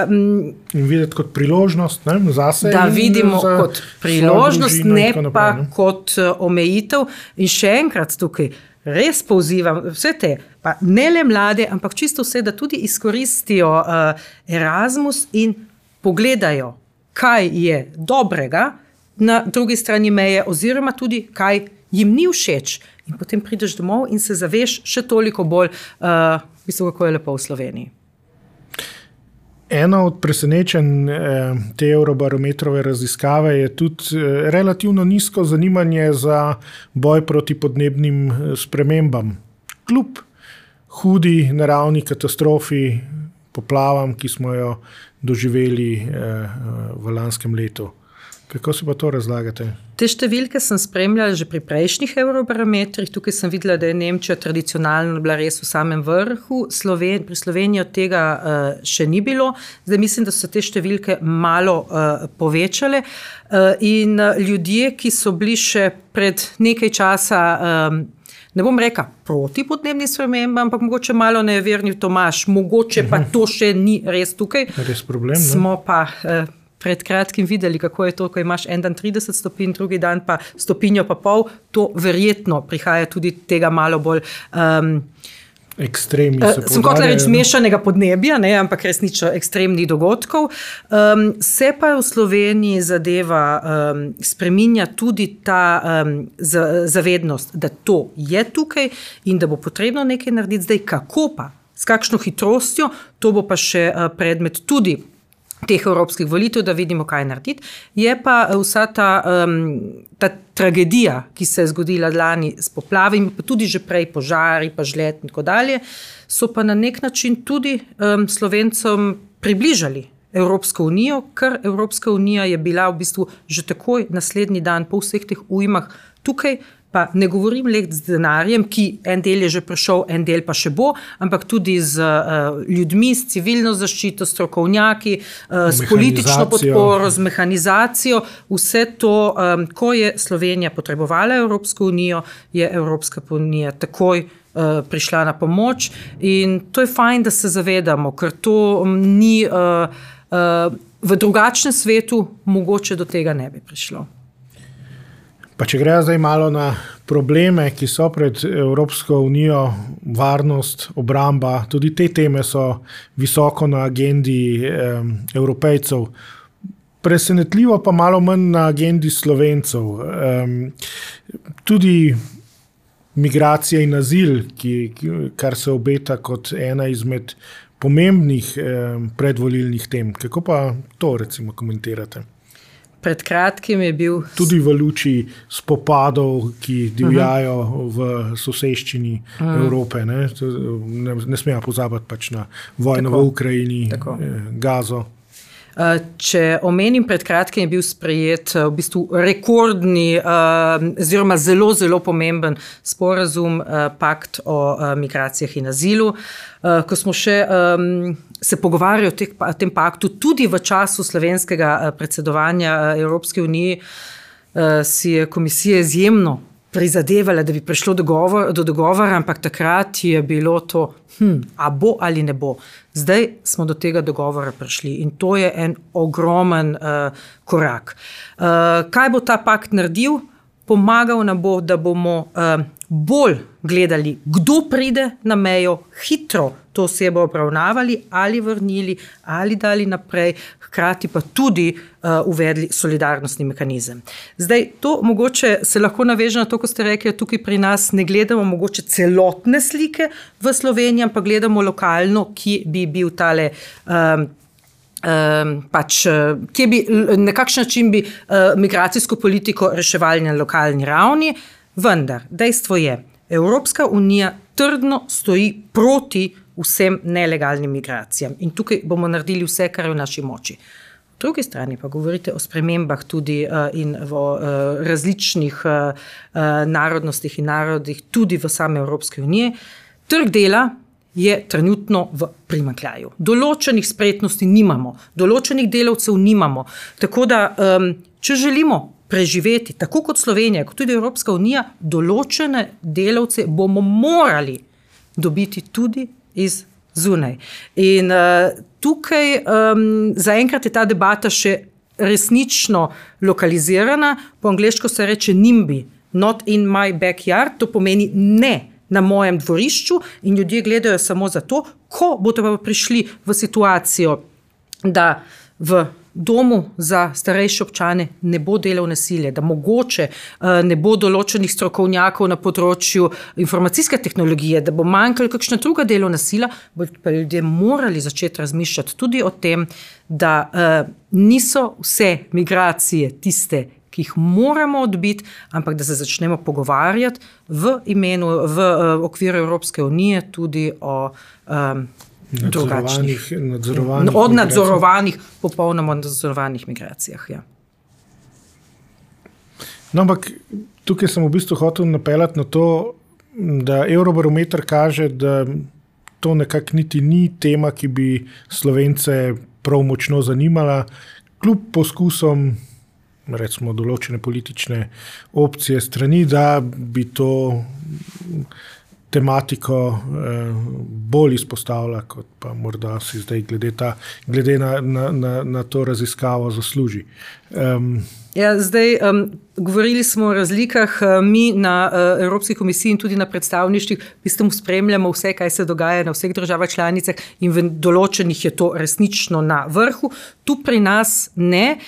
in videti kot priložnost, ne, zase. Da vidimo kot priložnost, ne pa kot omejitev. In še enkrat tukaj res pozivam vse te, pa ne le mlade, ampak čisto vse, da tudi izkoristijo Erasmus in pogledajo, kaj je dobrega na drugi strani meje, oziroma tudi, kaj jim ni všeč. In potem prideš domov in se zaveš še toliko bolj, uh, mislim, kako je lepo v Sloveniji. Ena od presenečenj eh, te Eurobarometrove raziskave je tudi eh, relativno nizko zanimanje za boj proti podnebnim spremembam. Kljub hudi naravni katastrofi, poplavam, ki smo jo doživeli eh, v lanskem letu. Kako se pa to razlagate? Te številke sem spremljala že pri prejšnjih Eurobarometrih. Tukaj sem videla, da je Nemčija tradicionalno bila res v samem vrhu. Sloven, pri Sloveniji od tega uh, še ni bilo. Zdaj mislim, da so te številke malo uh, povečale. Uh, in uh, ljudje, ki so bili še pred nekaj časa um, ne bom rekla proti podnebnim spremembam, ampak mogoče malo neverni Tomaž, mogoče pa to še ni res tukaj. Res problem, ne? Smo pa eh, pred kratkim videli, kako je to, ko imaš en dan trideset stopinj, drugi dan pa stopinjo pa pol, to verjetno prihaja tudi tega malo bolj um, ekstremni. Uh, sem hotela reči mešanega podnebja, ne, ampak resnično ekstremnih dogodkov. Um, se pa v Sloveniji zadeva um, spreminja tudi ta um, zavednost, da to je tukaj in da bo potrebno nekaj narediti. Zdaj, kako pa, s kakšno hitrostjo, to bo pa še uh, predmet tudi teh evropskih volitev, da vidimo, kaj narediti. Je pa vsa ta, um, ta tragedija, ki se je zgodila lani s poplavami, pa tudi že prej požari, pa žled in tako dalje, so pa na nek način tudi um, Slovencem približali Evropsko unijo, ker Evropska unija je bila v bistvu že takoj naslednji dan po vseh teh ujmah tukaj, pa ne govorim le z denarjem, ki en del je že prišel, en del pa še bo, ampak tudi z uh, ljudmi, s civilno zaščito, strokovnjaki, uh, s politično podporo, z mehanizacijo. Vse to, um, ko je Slovenija potrebovala Evropsko unijo, je Evropska unija takoj uh, prišla na pomoč in to je fajn, da se zavedamo, ker to um, ni uh, uh, v drugačnem svetu mogoče do tega ne bi prišlo. Pa če gre zdaj malo na probleme, ki so pred Evropsko unijo, varnost, obramba, tudi te teme so visoko na agendi eh, Evropejcev. Presenetljivo pa malo manj na agendi Slovencev. Eh, tudi migracija in azil, ki, kar se obeta kot ena izmed pomembnih eh, predvolilnih tem. Kako pa to recimo komentirate? Pred kratkim je bil... Tudi v luči spopadov, ki divjajo uh-huh. v soseščini uh-huh. Evrope. Ne, ne, ne smemo pozabiti pač na vojno Tako. v Ukrajini, Tako. Gazo. Če omenim, pred kratkim je bil sprejet v bistvu rekordni, oziroma zelo, zelo pomemben sporazum, pakt o migracijah in azilu. Ko smo še se pogovarjali o tem paktu, tudi v času slovenskega predsedovanja Evropske unije, si je komisija izjemno prizadevala, da bi prišlo dogovor, do dogovora, ampak takrat je bilo to, hm, a bo ali ne bo. Zdaj smo do tega dogovora prišli in to je en ogromen uh, korak. Uh, kaj bo ta pakt naredil? Pomagal nam bo, da bomo uh, bolj gledali, kdo pride na mejo, hitro to osebo obravnavali ali vrnili ali dali naprej, hkrati pa tudi uh, uvedli solidarnostni mehanizem. Zdaj, to mogoče se lahko naveže na to, ko ste rekli, tukaj pri nas ne gledamo mogoče celotne slike v Sloveniji, ampak gledamo lokalno, ki bi bil tale um, Um, pač, kje bi, na kakšen način bi uh, migracijsko politiko reševali na lokalni ravni, vendar dejstvo je, Evropska unija trdno stoji proti vsem nelegalnim migracijam in tukaj bomo naredili vse, kar je v naši moči. V drugi strani pa govorite o spremembah tudi uh, in v uh, različnih uh, uh, narodnostih in narodih, tudi v same Evropske unije. Trg dela je trenutno v primanjkljaju. Določenih spretnosti nimamo, določenih delavcev nimamo. Tako da, um, če želimo preživeti, tako kot Slovenija, kot tudi Evropska unija, določene delavce bomo morali dobiti tudi iz zunaj. In uh, tukaj um, zaenkrat je ta debata še resnično lokalizirana, po angleško se reče NIMBY, not in my backyard, to pomeni ne na mojem dvorišču in ljudje gledajo samo zato, ko bodo pa prišli v situacijo, da v domu za starejše občane ne bo delovne sile, da mogoče ne bo določenih strokovnjakov na področju informacijske tehnologije, da bo manjkala kakšna druga delovna sila, bodo pa ljudje morali začeti razmišljati tudi o tem, da uh, niso vse migracije tiste, ki jih moramo odbiti, ampak da se začnemo pogovarjati v imenu, v uh, okviru Evropske unije tudi o um, drugačnih, nadzorovanih od nadzorovanih, popolnoma nadzorovanih migracijah. Ja. No, ampak tukaj sem v bistvu hotel napeljati na to, da Eurobarometer kaže, da to nekako niti ni tema, ki bi Slovence prav močno zanimala, kljub poskusom recimo določene politične opcije strani, da bi to tematiko eh, bolj izpostavila, kot pa morda si zdaj glede, ta, glede na, na, na, na to raziskavo zasluži. Um, Ja, zdaj, um, govorili smo o razlikah, mi na uh, Evropski komisiji in tudi na predstavništvih v bistvu spremljamo vse, kaj se dogaja na vseh državah članicah in v določenih je to resnično na vrhu. Tu pri nas ne.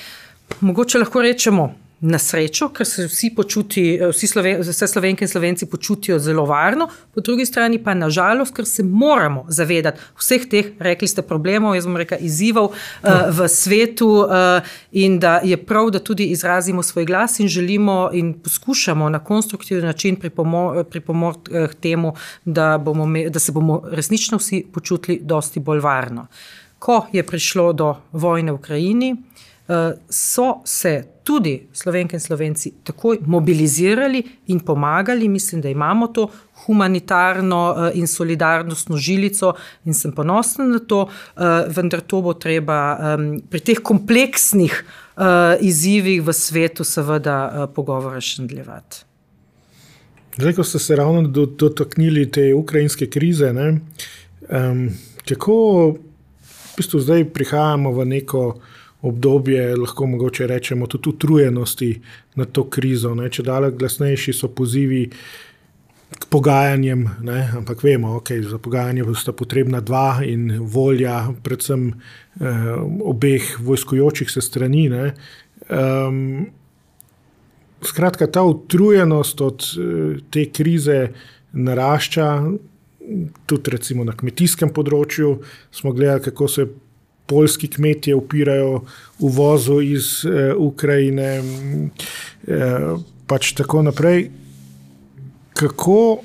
Mogoče lahko rečemo na srečo, ker se vsi počuti, vsi Sloven, vse Slovenke in Slovenci počutijo zelo varno, po drugi strani pa na žalost, ker se moramo zavedati vseh teh, rekli ste, problemov, jaz bom rekla, izzivov uh, v svetu uh, in da je prav, da tudi izrazimo svoj glas in želimo in poskušamo na konstruktivni način pripomor, pripomoriti k temu, da, bomo, da se bomo resnično vsi počutili dosti bolj varno. Ko je prišlo do vojne v Ukrajini, so se tudi Slovenke in Slovenci takoj mobilizirali in pomagali. Mislim, da imamo to humanitarno in solidarnostno žilico in sem ponosna na to, vendar to bo treba pri teh kompleksnih izzivih v svetu seveda pogovora še nadaljevati. Zdaj, ko ste se ravno dotaknili te ukrajinske krize, ne, um, kako v bistvu zdaj prihajamo v neko obdobje, lahko mogoče rečemo, tudi utrujenosti na to krizo. Ne? Če dalek glasnejši so pozivi k pogajanjem, ne? Ampak vemo, okay, za pogajanje sta potrebna dva in volja predvsem eh, obeh vojskujočih se strani. Ne? Um, skratka, ta utrujenost od eh, te krize narašča, tudi recimo na kmetijskem področju smo gledali, kako se poljski kmetje upirajo uvozu iz eh, Ukrajine, eh, pač tako naprej. Kako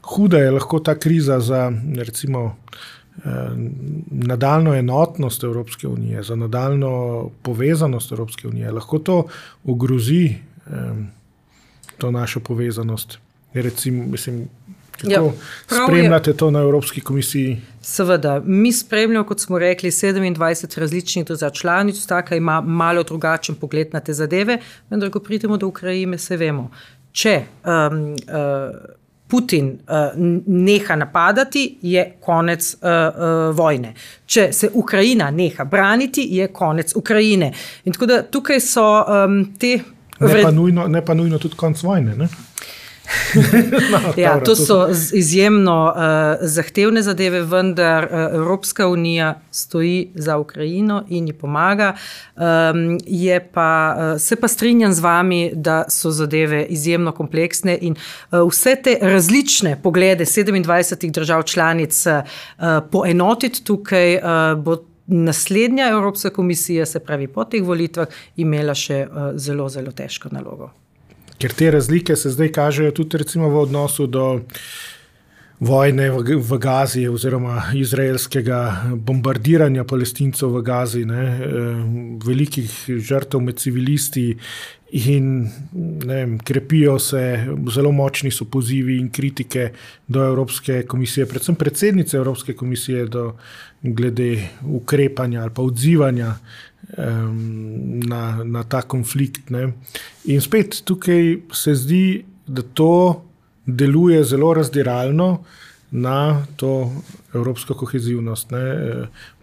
huda je lahko ta kriza za recimo eh, nadaljno enotnost Evropske unije, za nadaljno povezanost Evropske unije? Lahko to ogrozi eh, to našo povezanost? Recimo, mislim, kako ja, spremljate to na Evropski komisiji? Seveda, mi spremljamo, kot smo rekli, sedemindvajset različnih držav članic, vsaka ima malo drugačen pogled na te zadeve, vendar ko pridemo do Ukrajine, se vemo. če um, uh, Putin uh, neha napadati, je konec uh, uh, vojne. Če se Ukrajina neha braniti, je konec Ukrajine. In tako da tukaj so um, te... Ne pa, nujno, ne pa nujno tudi konc vojne, ne? no, ja, to so izjemno uh, zahtevne zadeve, vendar uh, Evropska unija stoji za Ukrajino in ji pomaga. Um, je pa, uh, se pa strinjam z vami, da so zadeve izjemno kompleksne in uh, vse te različne poglede sedemindvajsetih držav članic uh, poenotiti tukaj uh, bo naslednja Evropska komisija, se pravi po teh volitvah, imela še uh, zelo, zelo težko nalogo. Ker te razlike se zdaj kažejo tudi recimo v odnosu do vojne v, v Gazi oziroma izraelskega bombardiranja Palestincev v Gazi, ne, velikih žrtev med civilisti in ne vem, krepijo se, zelo močni so pozivi in kritike do Evropske komisije, predvsem predsednice Evropske komisije do glede ukrepanja ali pa odzivanja um, na, na ta konflikt. Ne. In spet tukaj se zdi, da to deluje zelo razdiralno na to evropsko kohezivnost, ne,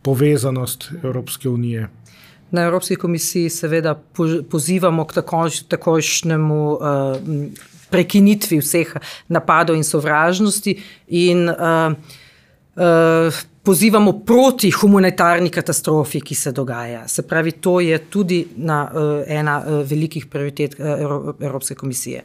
povezanost Evropske unije. Na Evropski komisiji seveda pozivamo k takojšnjemu uh, prekinitvi vseh napadov in sovražnosti in uh, uh, pozivamo proti humanitarni katastrofi, ki se dogaja. Se pravi, to je tudi na, uh, ena uh, velikih prioritet uh, Evropske komisije.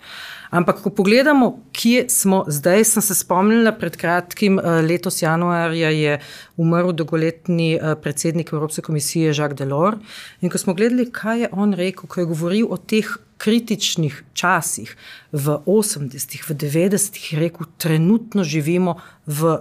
Ampak, ko pogledamo, kje smo zdaj, sem se spomnila pred kratkim, uh, letos januarja je umrl dolgoletni uh, predsednik Evropske komisije Jacques Delors. In ko smo gledali, kaj je on rekel, ko je govoril o teh kritičnih časih v osemdesetih, v devetdesetih, je rekel, trenutno živimo v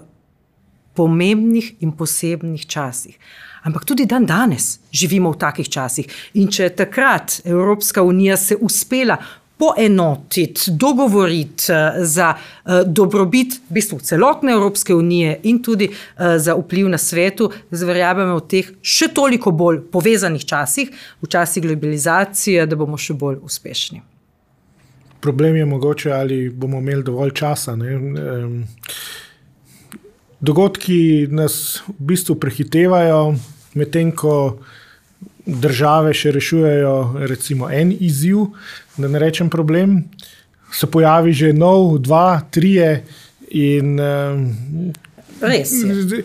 pomembnih in posebnih časih. Ampak tudi dan danes živimo v takih časih. In če je takrat Evropska unija se uspela poenotiti, dogovoriti za dobrobit v bistvu celotne Evropske unije in tudi za vpliv na svetu, verjamemo v teh še toliko bolj povezanih časih, v časih globalizacije, da bomo še bolj uspešni. Problem je mogoče, ali bomo imeli dovolj časa, ne? Dogodki nas v bistvu prehitevajo, medtem ko države še rešujejo recimo en izziv, da ne rečem problem, se pojavi že nov, dva, trije in res je.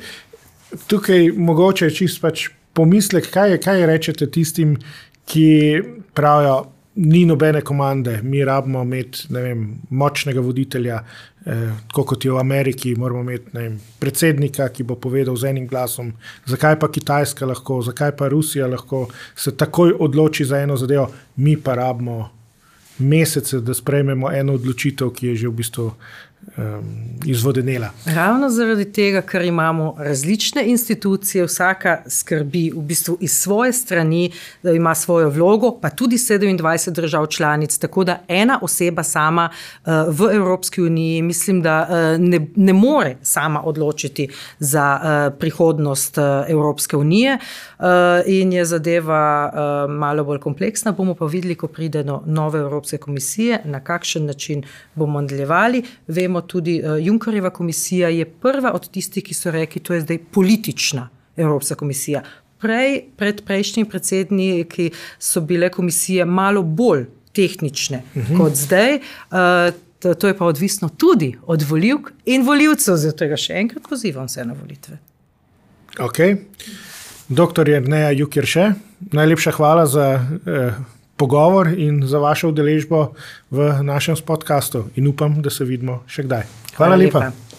Tukaj mogoče čist pač pomislek, kaj, je, kaj rečete tistim, ki pravijo, ni nobene komande, mi rabimo imeti, ne vem, močnega voditelja, eh, tako kot je v Ameriki, moramo imeti, ne vem, predsednika, ki bo povedal z enim glasom, zakaj pa Kitajska lahko, zakaj pa Rusija lahko se takoj odloči za eno zadevo, mi pa rabimo mesece, da sprejmemo eno odločitev, ki je že v bistvu um, izvodenela. Ravno zaradi tega, ker imamo različne institucije, vsaka skrbi v bistvu iz svoje strani, da ima svojo vlogo, pa tudi sedemindvajset držav članic, tako da ena oseba sama uh, v Evropski uniji, mislim, da uh, ne, ne more sama odločiti za uh, prihodnost uh, Evropske unije uh, in je zadeva uh, malo bolj kompleksna, bomo pa videli, ko pride do nove Evropske komisije, na kakšen način bomo nadaljevali. Vemo tudi, uh, Junckerjeva komisija je prva od tistih, ki so rekli, to je zdaj politična Evropska komisija. Prej, pred prejšnjim predsedniki so bile komisije malo bolj tehnične uh-huh. kot zdaj. Uh, to, to je pa odvisno tudi od volivk in volivcev, zato ga še enkrat pozivam vse na volitve. Ok. Doktor Jerneja Jukirše, najlepša hvala za eh, pogovor in za vašo udeležbo v našem podcastu in upam, da se vidimo še kdaj. Hvala, hvala lepa. lepa.